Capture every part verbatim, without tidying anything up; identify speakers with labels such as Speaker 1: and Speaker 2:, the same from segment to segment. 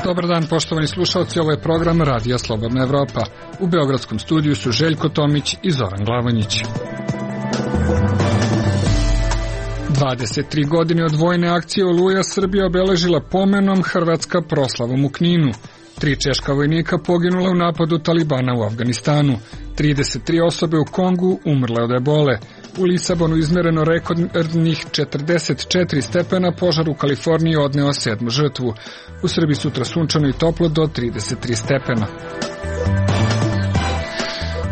Speaker 1: Dobar dan, poštovani slušalci, ovo je program Radija Slobodna Evropa. U beogradskom studiju su Željko Tomić i Zoran Glavanjić. dvadeset tri godine od vojne akcije Oluja Srbija obeležila pomenom, Hrvatska proslavom u Kninu. Tri češka vojnika poginula u napadu Talibana u Afganistanu. trideset tri osobe u Kongu umrle od ebole. U Lisabonu izmereno rekordnih četrdeset četiri stepena, požar u Kaliforniji odneo sedmu žrtvu. U Srbiji sutra sunčano i toplo do trideset tri stepena.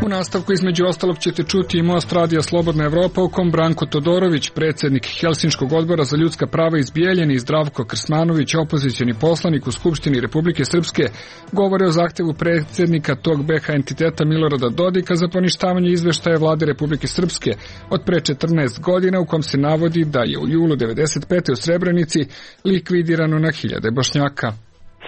Speaker 1: U nastavku između ostalog ćete čuti i Most Radija Slobodna Evropa u kom Branko Todorović, predsjednik Helsinškog odbora za ljudska prava iz Bijeljine, i Zdravko Krsmanović, opozicioni poslanik u Skupštini Republike Srpske, govore o zahtevu predsjednika tog be ha entiteta Milorada Dodika za poništavanje izveštaja vlade Republike Srpske od pre četrnaest godina, u kom se navodi da je u julu devedeset pete u Srebrenici likvidirano na hiljade Bošnjaka.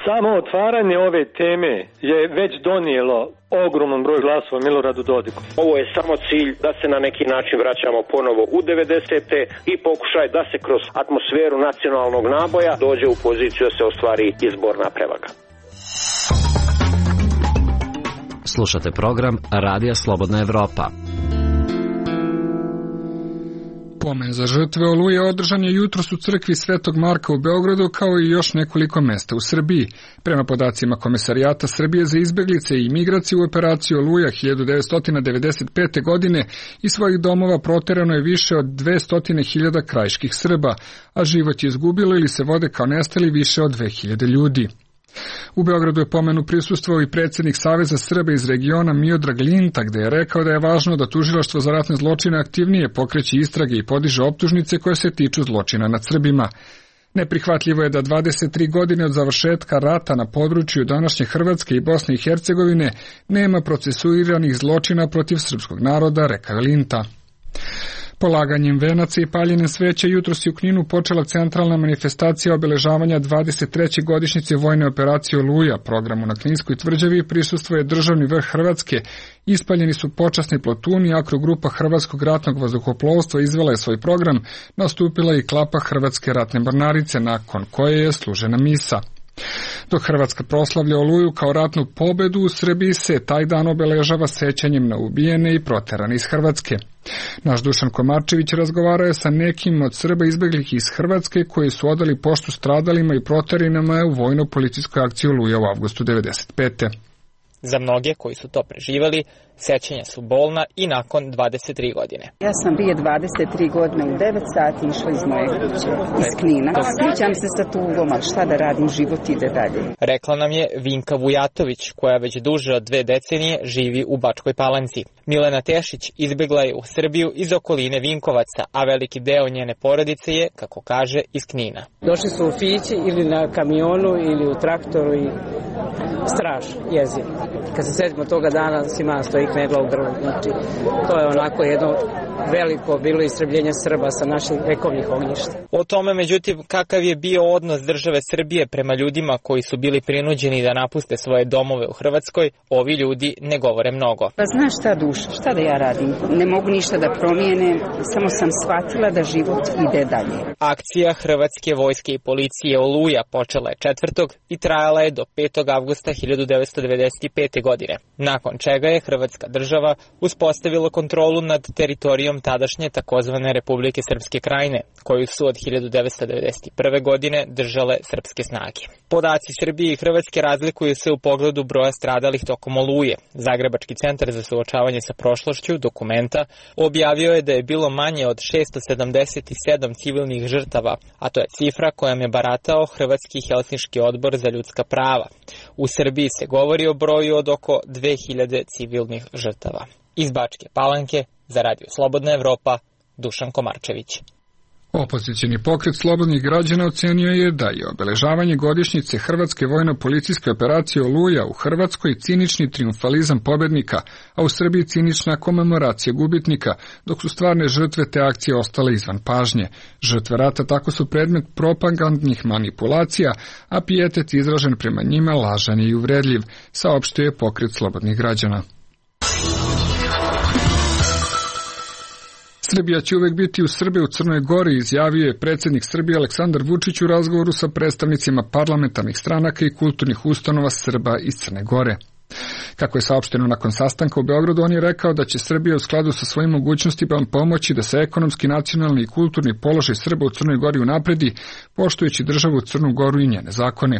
Speaker 2: Samo otvaranje ove teme je već donijelo ogroman broj glasova Miloradu Dodiku.
Speaker 3: Ovo je samo cilj da se na neki način vraćamo ponovo u devedesete i pokušaj da se kroz atmosferu nacionalnog naboja dođe u poziciju da se ostvari izborna prevaga.
Speaker 4: Slušate program Radija Slobodna Evropa.
Speaker 1: Pomen za žrtve Oluje održan je jutros u crkvi Svetog Marka u Beogradu, kao i još nekoliko mesta u Srbiji. Prema podacima Komesarijata Srbije za izbeglice i imigraciju, u operaciji Oluja hiljadu devetsto devedeset pete. godine iz svojih domova proterano je više od dvesta hiljada krajiških Srba, a život je izgubilo ili se vode kao nestali više od dve hiljade ljudi. U Beogradu je pomenu prisustvovao i predsjednik Saveza Srba iz regiona Miodrag Linta, gde je rekao da je važno da tužilaštvo za ratne zločine aktivnije pokreće istrage i podiže optužnice koje se tiču zločina nad Srbima. Neprihvatljivo je da dvadeset tri godine od završetka rata na području današnje Hrvatske i Bosne i Hercegovine nema procesuiranih zločina protiv srpskog naroda, rekao je Linta. Polaganjem venaca i paljenjem sveća jutros je u Kninu počela centralna manifestacija obeležavanja dvadeset treće godišnjice vojne operacije Oluja. Programu na Kninskoj tvrđavi prisustvuje državni vrh Hrvatske, ispaljeni su počasni plotuni, akrogrupa Hrvatskog ratnog vazduhoplovstva izvela je svoj program, nastupila i klapa Hrvatske ratne mornarice, nakon koje je služena misa. Dok Hrvatska proslavlja Oluju kao ratnu pobedu, u Srbiji se taj dan obeležava sećanjem na ubijene i proterane iz Hrvatske. Naš Dušan Komarčević razgovarao je sa nekim od Srba izbeglih iz Hrvatske koji su odali poštu stradalima i proteranima u vojno-policijskoj akciji Oluja u avgustu devedeset pete.
Speaker 5: Za mnoge koji su to preživeli, sećanja su bolna i nakon dvadeset tri godine.
Speaker 6: Ja sam prije dvadeset tri godine u devet sati išla iz moje kuće, iz Knina. Sjećam se sa tugom, ali šta da radim, život ide dalje.
Speaker 5: Rekla nam je Vinka Vujatović, koja već duže od dve decenije živi u Bačkoj Palanci. Milena Tešić izbegla je u Srbiju iz okoline Vinkovaca, a veliki deo njene porodice je, kako kaže, iz Knina.
Speaker 7: Došli su u Fići ili na kamionu ili u traktoru i strašno, jezivo. Kad se sjetimo toga dana, svima stoji knedla u grlu. Znači, to je onako jedno veliko bilo istrebljenje Srba sa naših vekovnih ognjišta.
Speaker 5: O tome, međutim, kakav je bio odnos države Srbije prema ljudima koji su bili prinuđeni da napuste svoje domove u Hrvatskoj, ovi ljudi ne govore mnogo.
Speaker 6: Pa znaš šta, duša, šta da ja radim? Ne mogu ništa da promijenem, samo sam shvatila da život ide dalje.
Speaker 5: Akcija Hrvatske vojske i policije Oluja počela je četvrtog i trajala je do petog avgusta hiljadu devetsto devedeset pete. godine, nakon čega je Hrvatska država uspostavila kontrolu nad teritorijom tadašnje takozvane Republike Srpske Krajine, koju su od hiljadu devetsto devedeset prve. godine držale srpske snage. Podaci Srbije i Hrvatske razlikuju se u pogledu broja stradalih tokom Oluje. Zagrebački centar za suočavanje sa prošlošću dokumenta objavio je da je bilo manje od šessto sedamdeset sedam civilnih žrtava, a to je cifra kojom je baratao Hrvatski Helsinški odbor za ljudska prava. U Srbiji se govori o broju od oko dve hiljade civilnih žrtava. Iz Bačke Palanke za Radio Slobodna Evropa, Dušan Komarčević.
Speaker 1: Opozicioni pokret slobodnih građana ocenio je da je obeležavanje godišnjice Hrvatske vojno-policijske operacije Oluja u Hrvatskoj cinični trijumfalizam pobednika, a u Srbiji cinična komemoracija gubitnika, dok su stvarne žrtve te akcije ostale izvan pažnje. Žrtve rata tako su predmet propagandnih manipulacija, a pijetet izražen prema njima lažan i uvredljiv, saopštio je pokret slobodnih građana. Srbija će uvek biti uz Srbe u Crnoj Gori, izjavio je predsjednik Srbije Aleksandar Vučić u razgovoru sa predstavnicima parlamentarnih stranaka i kulturnih ustanova Srba iz Crne Gore. Kako je saopšteno nakon sastanka u Beogradu, on je rekao da će Srbija u skladu sa svojim mogućnostima pomoći da se ekonomski, nacionalni i kulturni položaj Srba u Crnoj Gori unapredi, poštujući državu Crnu Goru i njene zakone.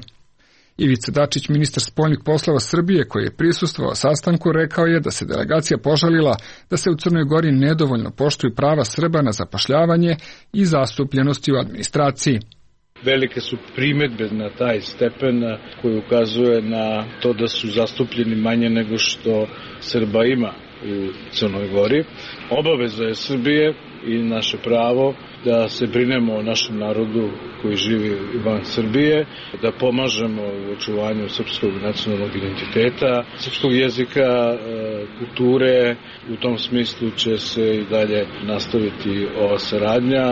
Speaker 1: Ivica Dačić, ministar spoljnih poslova Srbije, koji je prisustvovao sastanku, rekao je da se delegacija požalila da se u Crnoj Gori nedovoljno poštuju prava Srba na zapošljavanje i zastupljenosti u administraciji.
Speaker 8: Velike su primedbe na taj stepen koji ukazuje na to da su zastupljeni manje nego što Srba ima u Crnoj Gori. Obaveza je Srbije i naše pravo da se brinemo o našem narodu koji živi van Srbije, da pomažemo u očuvanju srpskog nacionalnog identiteta, srpskog jezika, kulture. U tom smislu će se i dalje nastaviti ova saradnja.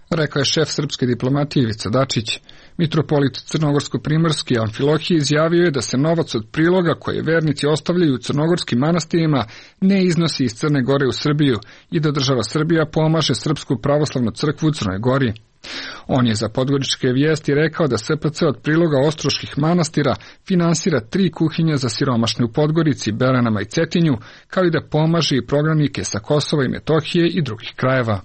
Speaker 1: Rekao je šef srpske diplomatije Ivica Dačić. Mitropolit crnogorsko-primorski Amfilohije izjavio je da se novac od priloga koje vernici ostavljaju u crnogorskim manastirima ne iznosi iz Crne Gore u Srbiju i da država Srbija pomaže Srpsku pravoslavnu crkvu u Crnoj Gori. On je za Podgoričke vijesti rekao da S P C od priloga ostroških manastira finansira tri kuhinje za siromašne u Podgorici, Beranama i Cetinju, kao i da pomaže i prognanike sa Kosova i Metohije i drugih krajeva.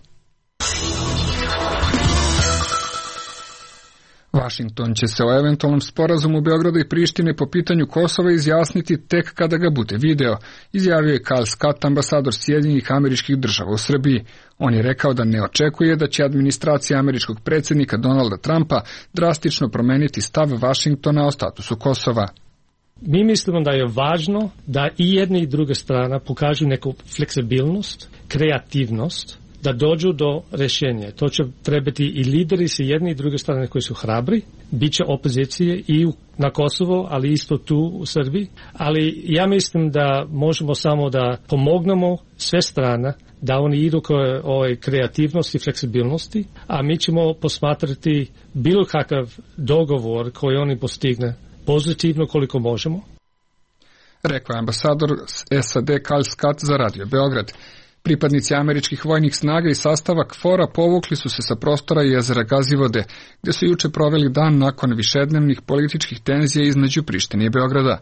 Speaker 1: Vašington će se o eventualnom sporazumu Beograda i Prištine po pitanju Kosova izjasniti tek kada ga bude video, izjavio je Karl Scott, ambasador Sjedinjenih Američkih Država u Srbiji. On je rekao da ne očekuje da će administracija američkog predsjednika Donalda Trumpa drastično promeniti stav Vašingtona o statusu Kosova.
Speaker 9: Mi mislimo da je važno da i jedna i druga strana pokažu neku fleksibilnost, kreativnost, da dođu do rješenja. To će trebati i lideri sa jedne i druge strane koji su hrabri, bit će opozicije i na Kosovo, ali isto tu u Srbiji. Ali ja mislim da možemo samo da pomognemo sve strane, da oni idu koje ovoj kreativnosti i fleksibilnosti, a mi ćemo posmatrati bilo kakav dogovor koji oni postigne pozitivno koliko možemo.
Speaker 1: Rekao je ambasador S A D Karl Scott za Radio Beograd. Pripadnici američkih vojnih snaga i sastava K F O R-a povukli su se sa prostora jezera Gazivode, gdje su juče proveli dan nakon višednevnih političkih tenzija između Prištine i Beograda.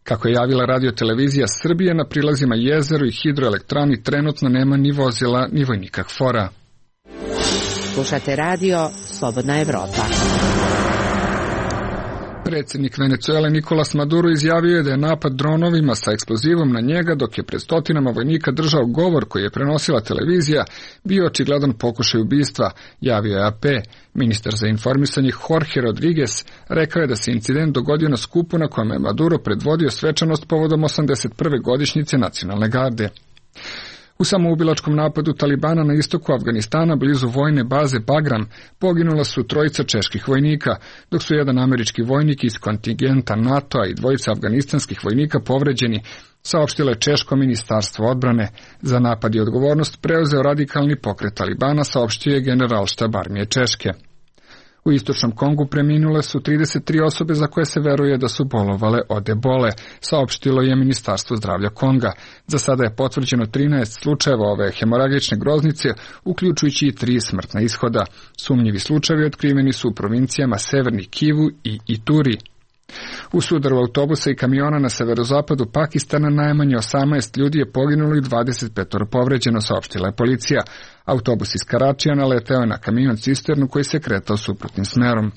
Speaker 1: Kako je javila radiotelevizija Srbije, na prilazima jezeru i hidroelektrani trenutno nema ni vozila ni vojnika K F O R-a.
Speaker 10: Slušate radio Slobodna Evropa.
Speaker 1: Predsjednik Venecuele Nicolas Maduro izjavio je da je napad dronovima sa eksplozivom na njega, dok je pred stotinama vojnika držao govor koji je prenosila televizija, bio očigledan pokušaj ubistva, javio je A P. Ministar za informisanje Jorge Rodriguez rekao je da se incident dogodio na skupu na kojem je Maduro predvodio svečanost povodom osamdeset prve godišnjice nacionalne garde. U samoubilačkom napadu Talibana na istoku Afganistana blizu vojne baze Bagram poginula su trojica čeških vojnika, dok su jedan američki vojnik iz kontingenta NATO-a i dvojica afganistanskih vojnika povređeni, saopštilo je Češko ministarstvo odbrane. Za napad i odgovornost preuzeo radikalni pokret Talibana, saopštio je generalštab armije Češke. U istočnom Kongu preminule su trideset tri osobe za koje se veruje da su bolovale od ebole, saopštilo je Ministarstvo zdravlja Konga. Za sada je potvrđeno trinaest slučajeva ove hemoragične groznice, uključujući i tri smrtna ishoda. Sumnjivi slučajevi otkriveni su u provincijama Severni Kivu i Ituri. U sudaru autobusa i kamiona na severozapadu Pakistana najmanje osamnaest ljudi je poginulo i dvadeset pet povređeno, saopštila je policija. Autobus iz Karačija naleteo je na kamion cisternu koji se kretao suprotnim smerom.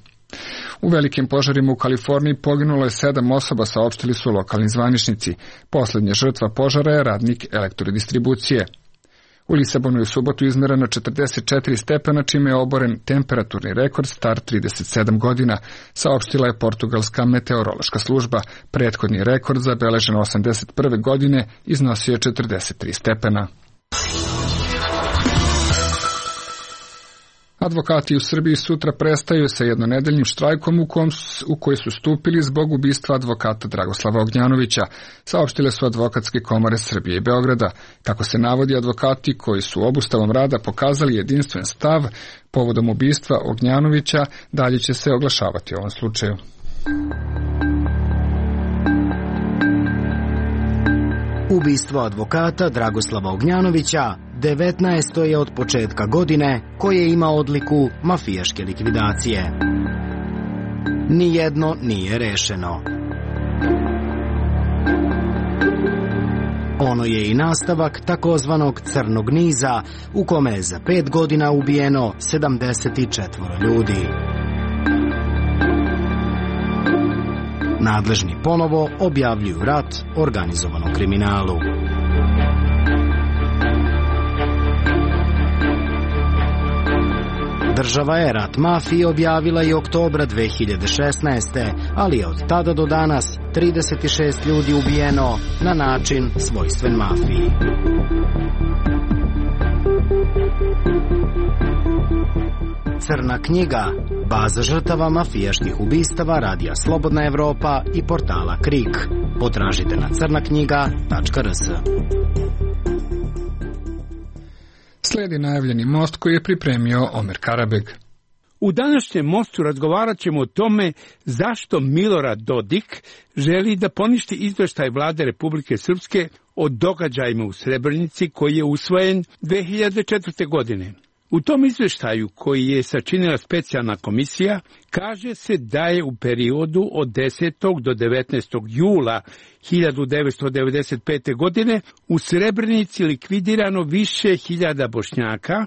Speaker 1: U velikim požarima u Kaliforniji poginulo je sedam osoba, saopštili su lokalni zvaničnici. Poslednja žrtva požara je radnik elektrodistribucije. U Lisabonu je u subotu izmereno četrdeset četiri stepena, čime je oboren temperaturni rekord star trideset sedam godina, saopštila je portugalska meteorološka služba. Prethodni rekord, zabeležen osamdeset prve godine, iznosio je četrdeset tri stepena. Advokati u Srbiji sutra prestaju sa jednonedeljnim štrajkom u, kom, u koji su stupili zbog ubistva advokata Dragoslava Ognjanovića, saopštile su advokatske komore Srbije i Beograda. Kako se navodi, advokati koji su obustavom rada pokazali jedinstven stav povodom ubistva Ognjanovića, dalje će se oglašavati u ovom slučaju.
Speaker 11: Ubistvo advokata Dragoslava Ognjanovića devetnaesto je od početka godine koje ima odliku mafijaške likvidacije. Nijedno nije rešeno. Ono je i nastavak takozvanog crnog niza u kome je za pet godina ubijeno sedamdeset četiri ljudi. Nadležni ponovo objavljuju rat organizovanom kriminalu. Država je rat mafiji objavila i oktobra dve hiljade šesnaeste. ali je od tada do danas trideset šest ljudi ubijeno na način svojstven mafiji. Crna knjiga, baza žrtava mafijaških ubistava Radija Slobodna Evropa i portala Krik. Potražite na crna knjiga tačka r s.
Speaker 1: Slijedi najavljeni most koji je pripremio Omer Karabeg.
Speaker 12: U današnjem mostu razgovarat ćemo o tome zašto Milorad Dodik želi da poništi izveštaj vlade Republike Srpske o događajima u Srebrenici koji je usvojen dve hiljade četvrte. godine. U tom izveštaju koji je sačinila specijalna komisija kaže se da je u periodu od desetog do devetnaestog jula hiljadu devetsto devedeset pete. godine u Srebrenici likvidirano više hiljada Bošnjaka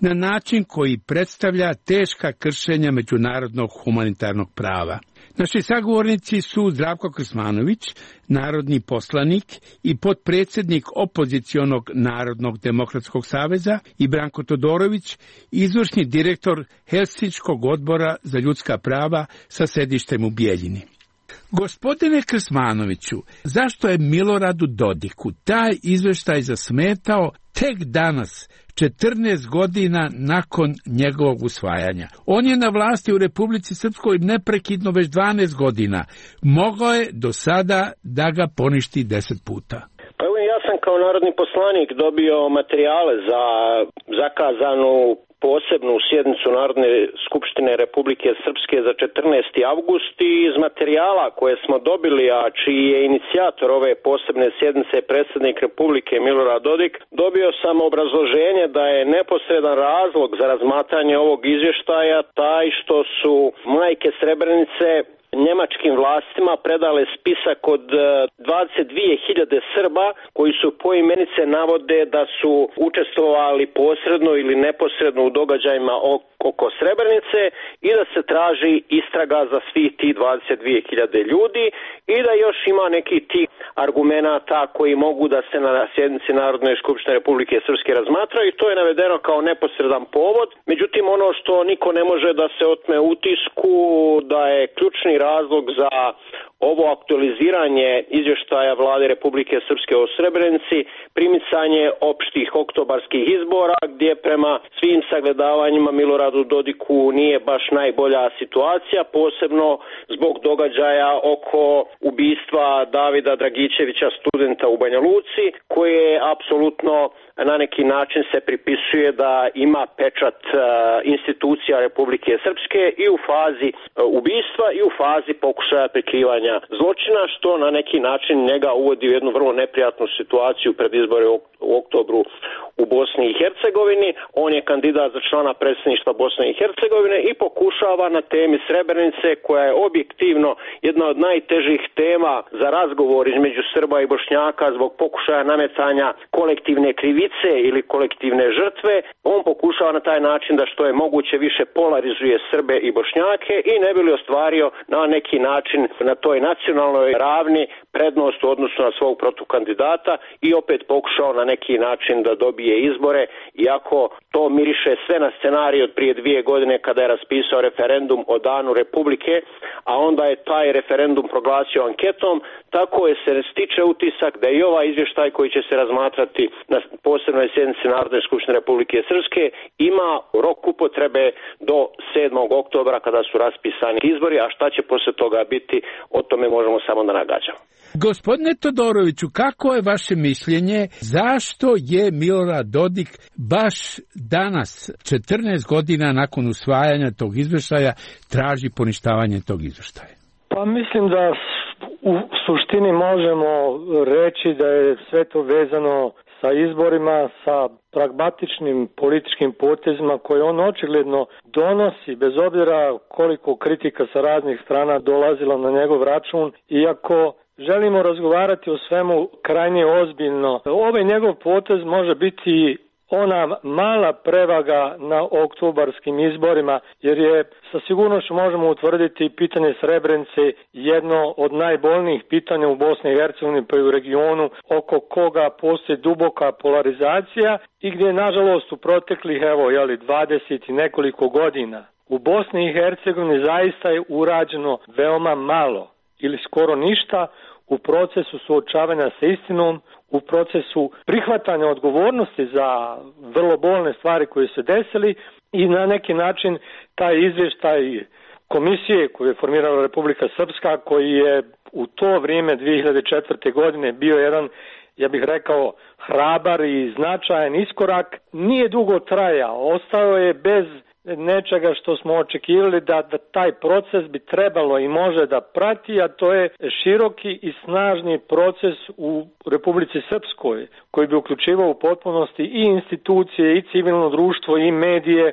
Speaker 12: na način koji predstavlja teška kršenja međunarodnog humanitarnog prava. Naši sagovornici su Zdravko Krsmanović, narodni poslanik i potpredsjednik opozicionog Narodnog demokratskog saveza, i Branko Todorović, izvršni direktor Helsinškog odbora za ljudska prava sa sedištem u Bijeljini. Gospodine Krsmanoviću, zašto je Miloradu Dodiku taj izveštaj zasmetao tek danas, četrnaest godina nakon njegovog usvajanja? On je na vlasti u Republici Srpskoj neprekidno već dvanaest godina. Mogao je do sada da ga poništi deset puta.
Speaker 3: Pa evo, ja sam kao narodni poslanik dobio materijale za zakazanu posebnu sjednicu Narodne skupštine Republike Srpske za četrnaesti avgust i iz materijala koje smo dobili, a čiji je inicijator ove posebne sjednice predsjednik Republike Milorad Dodik, dobio sam obrazloženje da je neposredan razlog za razmatranje ovog izvještaja taj što su majke Srebrenice njemačkim vlastima predale spisak od dvadeset dvije hiljade Srba koji su poimenice navode da su učestvovali posredno ili neposredno u događajima oko Srebrenice i da se traži istraga za svih tih dvadeset dvije hiljade ljudi i da još ima neki tih argumenata koji mogu da se na sjednici Narodne skupštine Republike Srpske razmatraju i to je navedeno kao neposredan povod. Međutim, ono što niko ne može da se otme utisku da je ključni razlog za ovo aktualiziranje izvještaja vlade Republike Srpske o Srebrenici primicanje opštih oktobarskih izbora gdje prema svim sagledavanjima Miloradu Dodiku nije baš najbolja situacija, posebno zbog događaja oko ubistva Davida Dragičevića, studenta u Banja Luci, koje apsolutno na neki način se pripisuje da ima pečat uh, institucija Republike Srpske i u fazi uh, ubistva i u fazi pokušaja prikrivanja zločina, što na neki način njega uvodi u jednu vrlo neprijatnu situaciju pred izbore u, u oktobru u Bosni i Hercegovini. On je kandidat za člana predsjedništva Bosne i Hercegovine i pokušava na temi Srebrenice, koja je objektivno jedna od najtežih tema za razgovor između Srba i Bošnjaka zbog pokušaja nametanja kolektivne krivice ili kolektivne žrtve, on pokušava na taj način da što je moguće više polarizuje Srbe i Bošnjake i ne bi li ostvario na neki način na toj nacionalnoj ravni prednost u odnosu na svog protukandidata i opet pokušao na neki način da dobije izbore, iako to miriše sve na scenarij od prije dvije godine kada je raspisao referendum o danu Republike, a onda je taj referendum proglasio anketom, tako je se stiče utisak da i ovaj izvještaj koji će se razmatrati na posebnoj sjednici Narodne skupštine Republike Srpske ima rok upotrebe do sedmog oktobra kada su raspisani izbori, a šta će posle toga biti, o tome možemo samo da nagađamo.
Speaker 12: Gospodine Todoroviću, kako je vaše mišljenje, zašto je Milorad Dodik baš danas, četrnaest godina nakon usvajanja tog izveštaja, traži poništavanje tog izveštaja?
Speaker 2: Pa mislim da u suštini možemo reći da je sve to vezano sa izborima, sa pragmatičnim političkim potezima koje on očigledno donosi, bez obzira koliko kritika sa raznih strana dolazila na njegov račun, iako želimo razgovarati o svemu krajnje ozbiljno. Ovaj njegov potez može biti ona mala prevaga na oktobarskim izborima, jer je sa sigurnošću možemo utvrditi pitanje Srebrenice jedno od najbolnijih pitanja u Bosni i Hercegovini pa i u regionu, oko koga postoji duboka polarizacija i gdje nažalost u proteklih evo jeli dvadeset i nekoliko godina u Bosni i Hercegovini zaista je urađeno veoma malo ili skoro ništa u procesu suočavanja sa istinom, u procesu prihvatanja odgovornosti za vrlo bolne stvari koje se desili i na neki način taj izvještaj komisije koju je formirala Republika Srpska, koji je u to vrijeme dvije hiljade četvrte. godine bio jedan, ja bih rekao, hrabar i značajan iskorak, nije dugo trajao, ostao je bez nečega što smo očekivali da, da taj proces bi trebalo i može da prati, a to je široki i snažni proces u Republici Srpskoj, koji bi uključivao u potpunosti i institucije, i civilno društvo, i medije,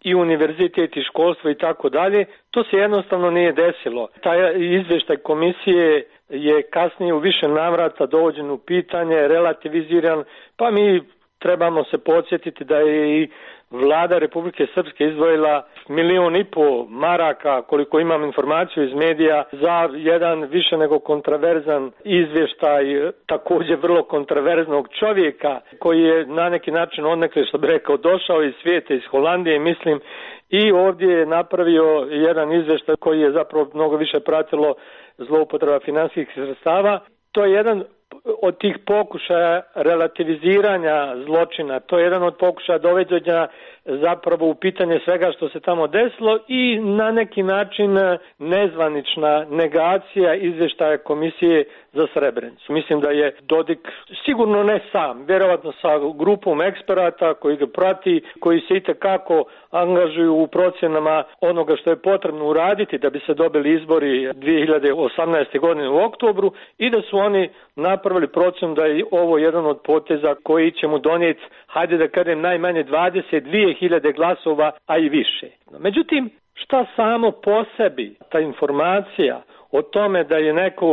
Speaker 2: i univerzitet, i školstvo i tako dalje. To se jednostavno nije desilo. Taj izvještaj komisije je kasnije u više navrata dovođen u pitanje, relativiziran, pa mi trebamo se podsjetiti da je i Vlada Republike Srpske izdvojila milion i po maraka, koliko imam informaciju iz medija, za jedan više nego kontraverzan izvještaj, također vrlo kontraverznog čovjeka, koji je na neki način odnekle, što bi rekao, došao iz svijeta, iz Holandije, mislim, i ovdje je napravio jedan izvještaj koji je zapravo mnogo više pratilo zloupotreba financijskih sredstava. To je jedan od tih pokušaja relativiziranja zločina, to je jedan od pokušaja dovođenja zapravo u pitanje svega što se tamo desilo i na neki način nezvanična negacija izvještaja komisije za Srebrenicu. Mislim da je Dodik sigurno ne sam, vjerovatno sa grupom eksperata koji ga prati, koji se itekako angažuju u procjenama onoga što je potrebno uraditi da bi se dobili izbori dvije hiljade osamnaeste. godine u oktobru i da su oni napravili procjenu da je ovo jedan od poteza koji će mu donijeti, hajde da kažem, najmanje dvadeset dvije hiljade glasova, a i više. Međutim, šta samo po sebi ta informacija o tome da je neko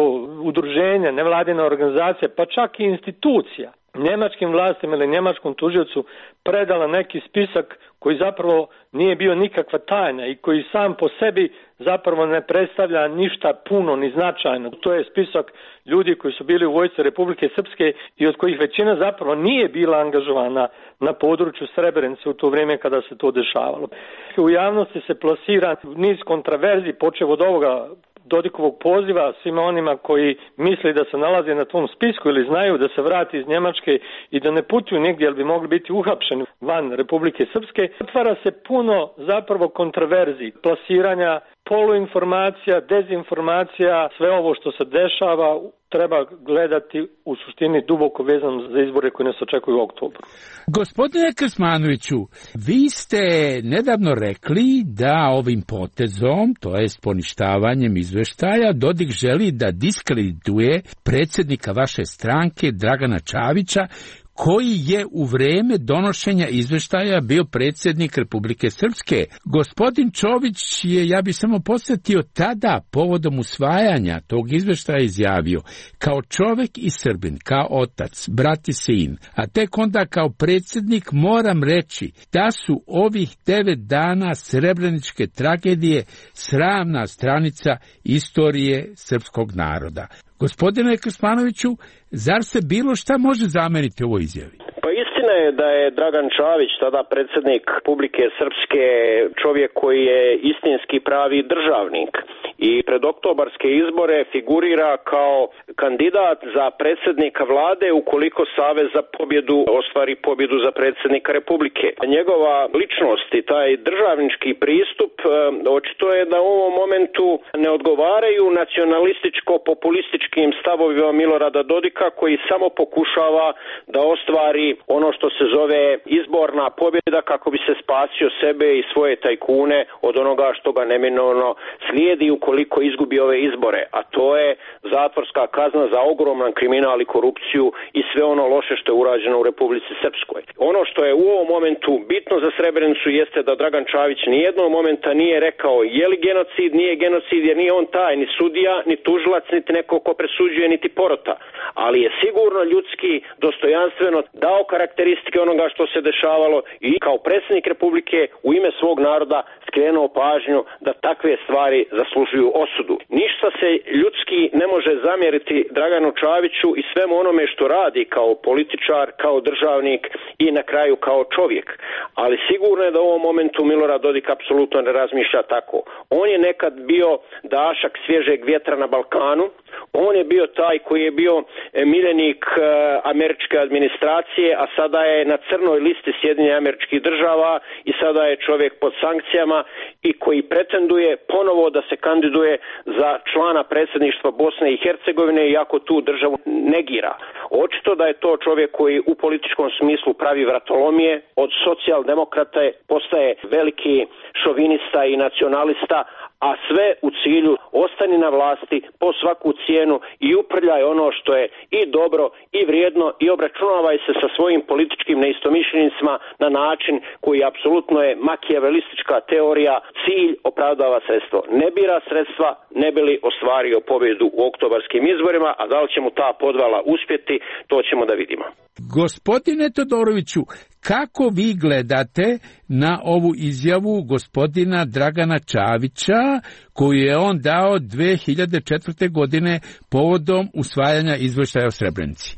Speaker 2: udruženje, nevladina organizacija, pa čak i institucija njemačkim vlastima ili njemačkom tužiocu predala neki spisak koji zapravo nije bio nikakva tajna i koji sam po sebi zapravo ne predstavlja ništa puno ni značajno. To je spisak ljudi koji su bili u vojsci Republike Srpske i od kojih većina zapravo nije bila angažovana na području Srebrenice u to vrijeme kada se to dešavalo. U javnosti se plasira niz kontraverzi, počev od ovoga Dodikovog poziva svima onima koji misle da se nalaze na tom spisku ili znaju da se vrati iz Njemačke i da ne putuju negdje, jer bi mogli biti uhapšeni van Republike Srpske. Otvara se puno zapravo kontraverzi, plasiranja poluinformacija, dezinformacija, sve ovo što se dešava treba gledati u suštini duboko vezano za izbore koji nas očekuju u oktobru.
Speaker 12: Gospodine Krsmanoviću, vi ste nedavno rekli da ovim potezom, to jest poništavanjem izveštaja, Dodik želi da diskredituje predsjednika vaše stranke Dragana Čavića, koji je u vreme donošenja izveštaja bio predsjednik Republike Srpske. Gospodin Čović je, ja bih samo podsjetio, tada povodom usvajanja tog izveštaja izjavio: kao čovjek i Srbin, kao otac, brat i sin, a tek onda kao predsjednik moram reći da su ovih devet dana srebreničke tragedije sramna stranica istorije srpskog naroda. Gospodine Krsmanoviću, zar se bilo šta može zameriti ovoj izjavi?
Speaker 3: Pa istina je da je Dragan Čavić, tada predsjednik Republike Srpske, čovjek koji je istinski pravi državnik i pred oktobarske izbore figurira kao kandidat za predsjednika vlade ukoliko Savez za pobjedu ostvari pobjedu za predsjednika Republike. Njegova ličnost i taj državnički pristup očito je da u ovom momentu ne odgovaraju nacionalističko-populističkim stavovima Milorada Dodika koji samo pokušava da ostvari ono što se zove izborna pobjeda kako bi se spasio sebe i svoje tajkune od onoga što ga neminovno slijedi ukoliko izgubi ove izbore, a to je zatvorska kazna za ogroman kriminal i korupciju i sve ono loše što je urađeno u Republici Srpskoj. Ono što je u ovom momentu bitno za Srebrenicu jeste da Dragan Čavić nijednog momenta nije rekao je li genocid, nije genocid, jer nije on taj, ni sudija, ni tužilac, niti neko ko presuđuje, niti porota. Ali je sigurno ljudski, dostojanstveno dao karakteristike onoga što se dešavalo i kao predsjednik Republike u ime svog naroda skrenuo pažnju da takve stvari zaslužuju osudu. Ništa se ljudski ne može zamjeriti Draganu Čaviću i svemu onome što radi kao političar, kao državnik i na kraju kao čovjek. Ali sigurno je da u ovom momentu Milorad Dodik apsolutno ne razmišlja tako. On je nekad bio dašak svježeg vjetra na Balkanu, on je bio taj koji je bio miljenik američke administracije, a sada je na crnoj listi Sjedinjenih Američkih Država i sada je čovjek pod sankcijama i koji pretenduje ponovo da se kandiduje za člana predsjedništva Bosne i Hercegovine iako tu državu negira. Očito da je to čovjek koji u političkom smislu pravi vratolomije, od socijaldemokrata postaje veliki šovinista i nacionalista, a sve u cilju ostani na vlasti po svaku cijenu i uprljaj ono što je i dobro i vrijedno i obračunavaj se sa svojim političkim neistomišljenicima na način koji apsolutno je makijavelistička teorija, cilj opravdava sredstvo. Ne bira sredstva, ne bi li ostvario pobjedu u oktobarskim izborima, a da li će mu ta podvala uspjeti, to ćemo da vidimo.
Speaker 12: Gospodine Todoroviću, kako vi gledate na ovu izjavu gospodina Dragana Čavića koju je on dao dve hiljade četvrte godine povodom usvajanja izvještaja o Srebrenici?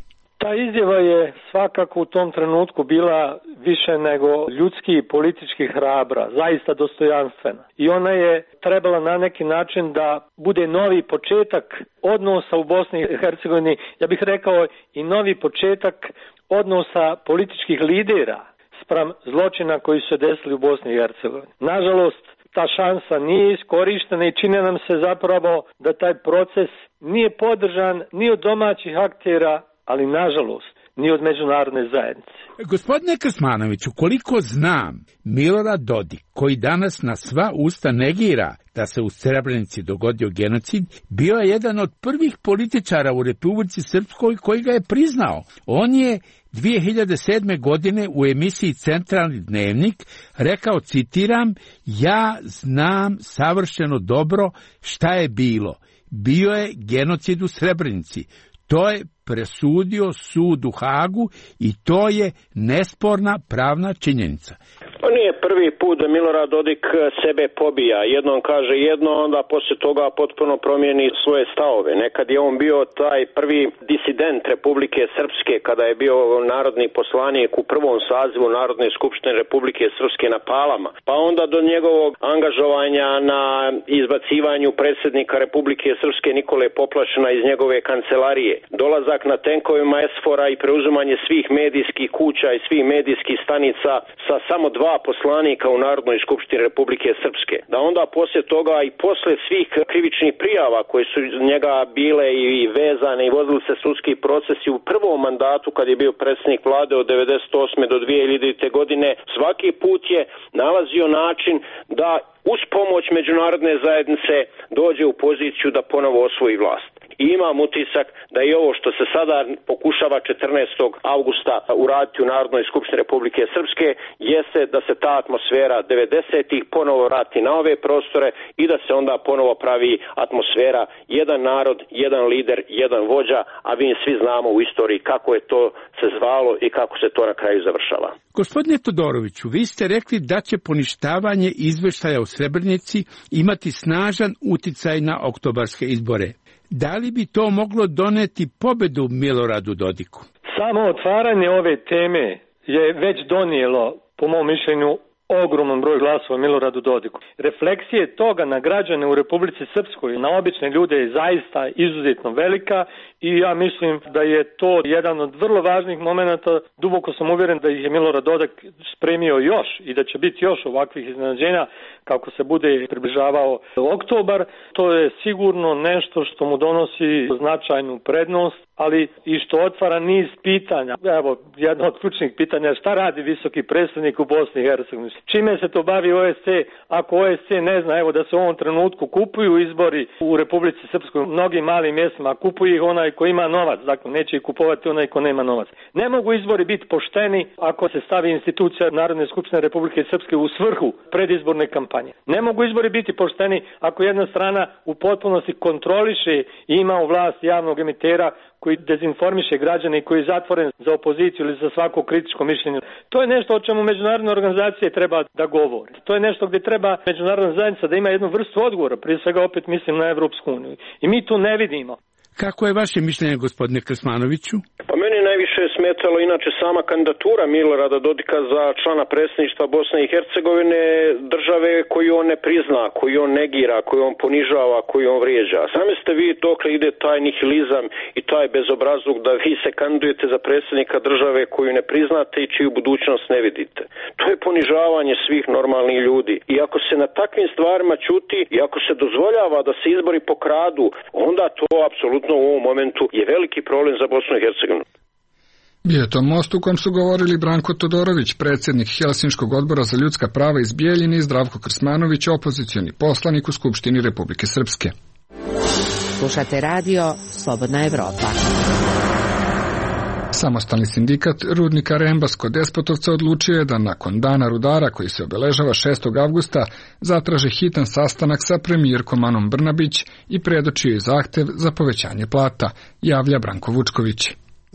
Speaker 2: Ta izjava je svakako u tom trenutku bila više nego ljudski i politički hrabra, zaista dostojanstvena. I ona je trebala na neki način da bude novi početak odnosa u Bosni i Hercegovini, ja bih rekao i novi početak odnosa političkih lidera spram zločina koji su se desili u Bosni i Hercegovini. Nažalost, ta šansa nije iskorištena i čini nam se zapravo da taj proces nije podržan ni od domaćih aktera, ali nažalost ni od međunarodne zajednice.
Speaker 12: Gospodine Krsmanoviću, koliko znam, Milorad Dodik, koji danas na sva usta negira da se u Srebrenici dogodio genocid, bio je jedan od prvih političara u Republici Srpskoj koji ga je priznao. On je dvije hiljade sedme. godine u emisiji Centralni dnevnik rekao, citiram, ja znam savršeno dobro šta je bilo. Bio je genocid u Srebrenici. To je presudio sud u Hagu i to je nesporna pravna činjenica.
Speaker 3: To nije prvi put da Milorad Dodik sebe pobija. Jednom kaže jedno, onda poslije toga potpuno promijeni svoje stavove. Nekad je on bio taj prvi disident Republike Srpske kada je bio narodni poslanik u prvom sazivu Narodne skupštine Republike Srpske na Palama. Pa onda do njegovog angažovanja na izbacivanju predsjednika Republike Srpske Nikole Poplašina iz njegove kancelarije. Dolazak na tenkovima Esfora i preuzimanje svih medijskih kuća i svih medijskih stanica sa samo dva poslanika u Narodnoj skupštini Republike Srpske. Da onda poslije toga i poslije svih krivičnih prijava koje su njega bile i vezane i vodili se sudski procesi u prvom mandatu kad je bio predsjednik vlade od devedeset osme do dvije hiljadite. godine, svaki put je nalazio način da uz pomoć međunarodne zajednice dođe u poziciju da ponovo osvoji vlast. I imam utisak da i ovo što se sada pokušava četrnaestog avgusta uraditi u Narodnoj skupštini Republike Srpske jeste da se ta atmosfera devedesetih ponovo vrati na ove prostore i da se onda ponovo pravi atmosfera jedan narod, jedan lider, jedan vođa, a mi svi znamo u istoriji kako je to se zvalo i kako se to na kraju završava.
Speaker 12: Gospodine Todoroviću, vi ste rekli da će poništavanje izvještaja o Srebrenici imati snažan uticaj na oktobarske izbore. Da li bi to moglo doneti pobedu Miloradu Dodiku?
Speaker 2: Samo otvaranje ove teme je već donijelo, po mom mišljenju, ogroman broj glasova Miloradu Dodiku. Refleksije toga na građane u Republici Srpskoj, na obične ljude je zaista izuzetno velika i ja mislim da je to jedan od vrlo važnih momenata. Duboko sam uvjeren da ih je Milorad Dodik spremio još i da će biti još ovakvih iznenađenja kako se bude približavao oktobar. To je sigurno nešto što mu donosi značajnu prednost, ali i što otvara niz pitanja. Evo, jedno od ključnih pitanja, šta radi visoki predstavnik u Bosni i Hercegovini? Čime se to bavi O S C ako O S C ne zna, evo da se u ovom trenutku kupuju izbori u Republici Srpskoj, mnogim malim mjestima, kupuje ih onaj ko ima novac, dakle neće ih kupovati onaj ko nema novac. Ne mogu izbori biti pošteni ako se stavi institucija Narodne skupštine Republike Srpske u svrhu predizborne kampanje. Ne mogu izbori biti pošteni ako jedna strana u potpunosti kontroliše i ima u vlast javnog emitera koji dezinformiše građane i koji je zatvoren za opoziciju ili za svako kritičko mišljenje. To je nešto o čemu međunarodne organizacije treba da govore. To je nešto gdje treba međunarodna zajednica da ima jednu vrstu odgovora, prije svega opet mislim na Evropsku uniju. I mi tu ne vidimo.
Speaker 12: Kako je vaše mišljenje, gospodine Krsmanoviću?
Speaker 3: Pa meni najviše je smetalo inače sama kandidatura Milorada Dodika za člana predsjedništva Bosne i Hercegovine, države koju on ne prizna, koju on negira, koju on ponižava, koju on vrijeđa. Sami ste vi dokle ide taj nihilizam i taj bezobrazluk da vi se kandidujete za predsjednika države koju ne priznate i čiju budućnost ne vidite. To je ponižavanje svih normalnih ljudi. I ako se na takvim stvarima ćuti i ako se dozvoljava da se izbori pokradu, onda to apsolutno u ovom momentu je veliki problem za Bosnu i Hercegovinu.
Speaker 1: Bio je to most u kom su govorili Branko Todorović, predsjednik Helsinškog odbora za ljudska prava iz Bijeljine, i Zdravko Krsmanović, opozicioni poslanik u Skupštini Republike Srpske.
Speaker 10: Slušate radio Slobodna Evropa.
Speaker 1: Samostalni sindikat rudnika Rembas kod Despotovca odlučio je da nakon dana rudara koji se obeležava šestog avgusta zatraže hitan sastanak sa premijerkom Anom Brnabić i predočio je zahtev za povećanje plata, javlja Branko Vučković.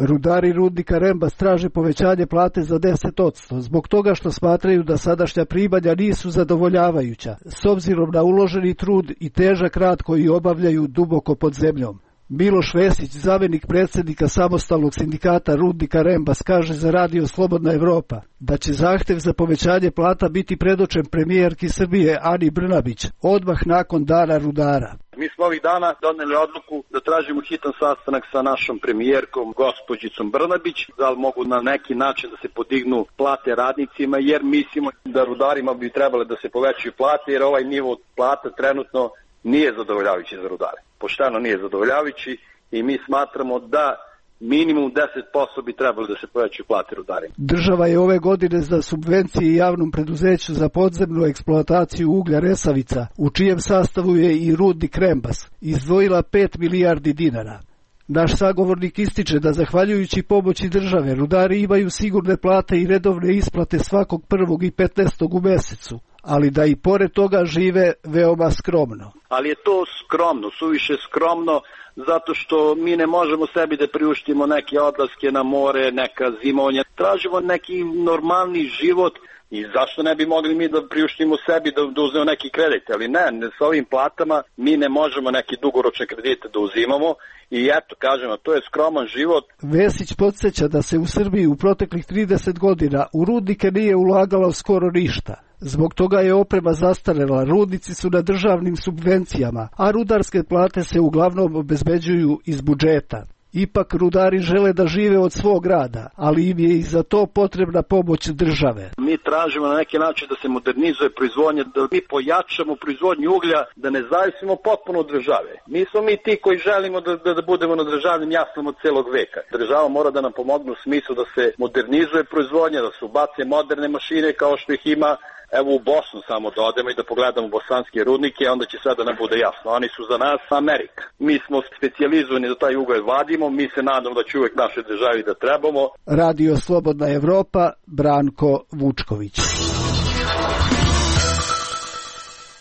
Speaker 13: Rudari rudnika Rembas traže povećanje plate za deset posto, zbog toga što smatraju da sadašnja primanja nisu zadovoljavajuća, s obzirom na uloženi trud i težak rad koji obavljaju duboko pod zemljom. Miloš Vesić, zamjenik predsjednika samostalnog sindikata rudnika Rembas, kaže za radio Slobodna Evropa da će zahtev za povećanje plata biti predočen premijerki Srbije Ani Brnabić odmah nakon dana rudara.
Speaker 14: Mi smo ovih dana doneli odluku da tražimo hitan sastanak sa našom premijerkom, gospođicom Brnabić, da li mogu na neki način da se podignu plate radnicima, jer mislimo da rudarima bi trebale da se povećaju plate, jer ovaj nivo plata trenutno nije zadovoljavajući za rudare. Pošteno nije zadovoljavajući i mi smatramo da minimum deset posto bi trebalo da se povećaju plate rudarima.
Speaker 13: Država je ove godine za subvencije javnom preduzeću za podzemnu eksploataciju uglja Resavica, u čijem sastavu je i rudnik Rembas, izdvojila pet milijardi dinara. Naš sagovornik ističe da zahvaljujući pomoći države rudari imaju sigurne plate i redovne isplate svakog prvog i petnaestog u mesecu, ali da i pored toga žive veoma skromno.
Speaker 14: Ali je to skromno, suviše skromno, zato što mi ne možemo sebi da priuštimo neke odlaske na more, neka zimovanja. Tražimo neki normalni život i zašto ne bi mogli mi da priuštimo sebi da, da uzmemo neki kredit, ali ne, ne, s ovim platama mi ne možemo neki dugoročne kredite da uzimamo i eto, kažemo, to je skroman život.
Speaker 13: Vesić podsjeća da se u Srbiji u proteklih trideset godina u rudnike nije ulagalo skoro ništa. Zbog toga je oprema zastarela, rudnici su na državnim subvencijama, a rudarske plate se uglavnom obezbeđuju iz budžeta. Ipak rudari žele da žive od svog rada, ali im je i za to potrebna pomoć države.
Speaker 14: Mi tražimo na neki način da se modernizuje proizvodnja, da mi pojačamo proizvodnju uglja, da ne zavisimo potpuno od države. Mi smo mi ti koji želimo da, da, da budemo na državnim jaslama od celog veka. Država mora da nam pomogne u smislu da se modernizuje proizvodnja, da se ubace moderne mašine kao što ih ima. Evo u Bosnu samo da odemo i da pogledamo bosanske rudnike, onda će sve da nam bude jasno. Oni su za nas Amerika. Mi smo specijalizovani da taj ugalj vadimo, mi se nadamo da će uvek našoj državi da trebamo.
Speaker 13: Radio Slobodna Evropa, Branko Vučković.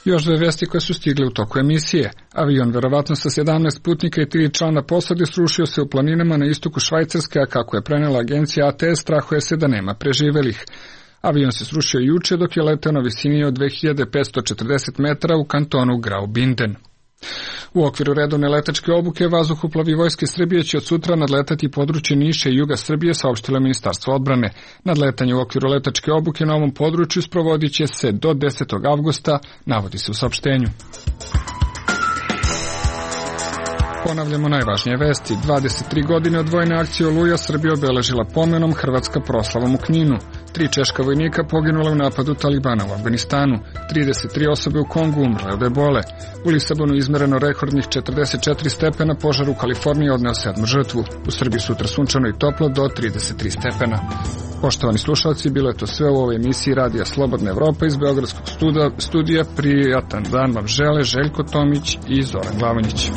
Speaker 1: Još dve vesti koje su stigle u toku emisije. Avion, verovatno sa sedamnaest putnika i tri člana posade, srušio se u planinama na istoku Švajcarske, a kako je prenela agencija A T S, strahuje se da nema preživelih. Avion se srušio juče dok je leteo na visini od dve hiljade petsto četrdeset metara u kantonu Graubünden. U okviru redovne letačke obuke vazduhoplovi Vojske Srbije će od sutra nadletati područje Niša i juga Srbije, saopštilo Ministarstvo odbrane. Nadletanje u okviru letačke obuke na ovom području sprovodit će se do desetog avgusta, navodi se u saopštenju. Ponavljamo najvažnije vesti. dvadeset tri godine od vojne akcije Oluja Srbija obeležila pomenom, Hrvatska proslavom u Kninu. Tri češka vojnika poginula u napadu Talibana u Afganistanu. trideset tri osobe u Kongu umrle od ebole. U Lisabonu izmereno rekordnih četrdeset četiri stepena, požar u Kaliforniji odneo sedmu žrtvu. U Srbiji sutra sunčano i toplo do trideset tri stepena. Poštovani slušalci, bilo je to sve u ovoj emisiji Radija Slobodna Evropa iz Beogradskog studija. Prijatan dan vam žele Željko Tomić i Zoran Glavonjić.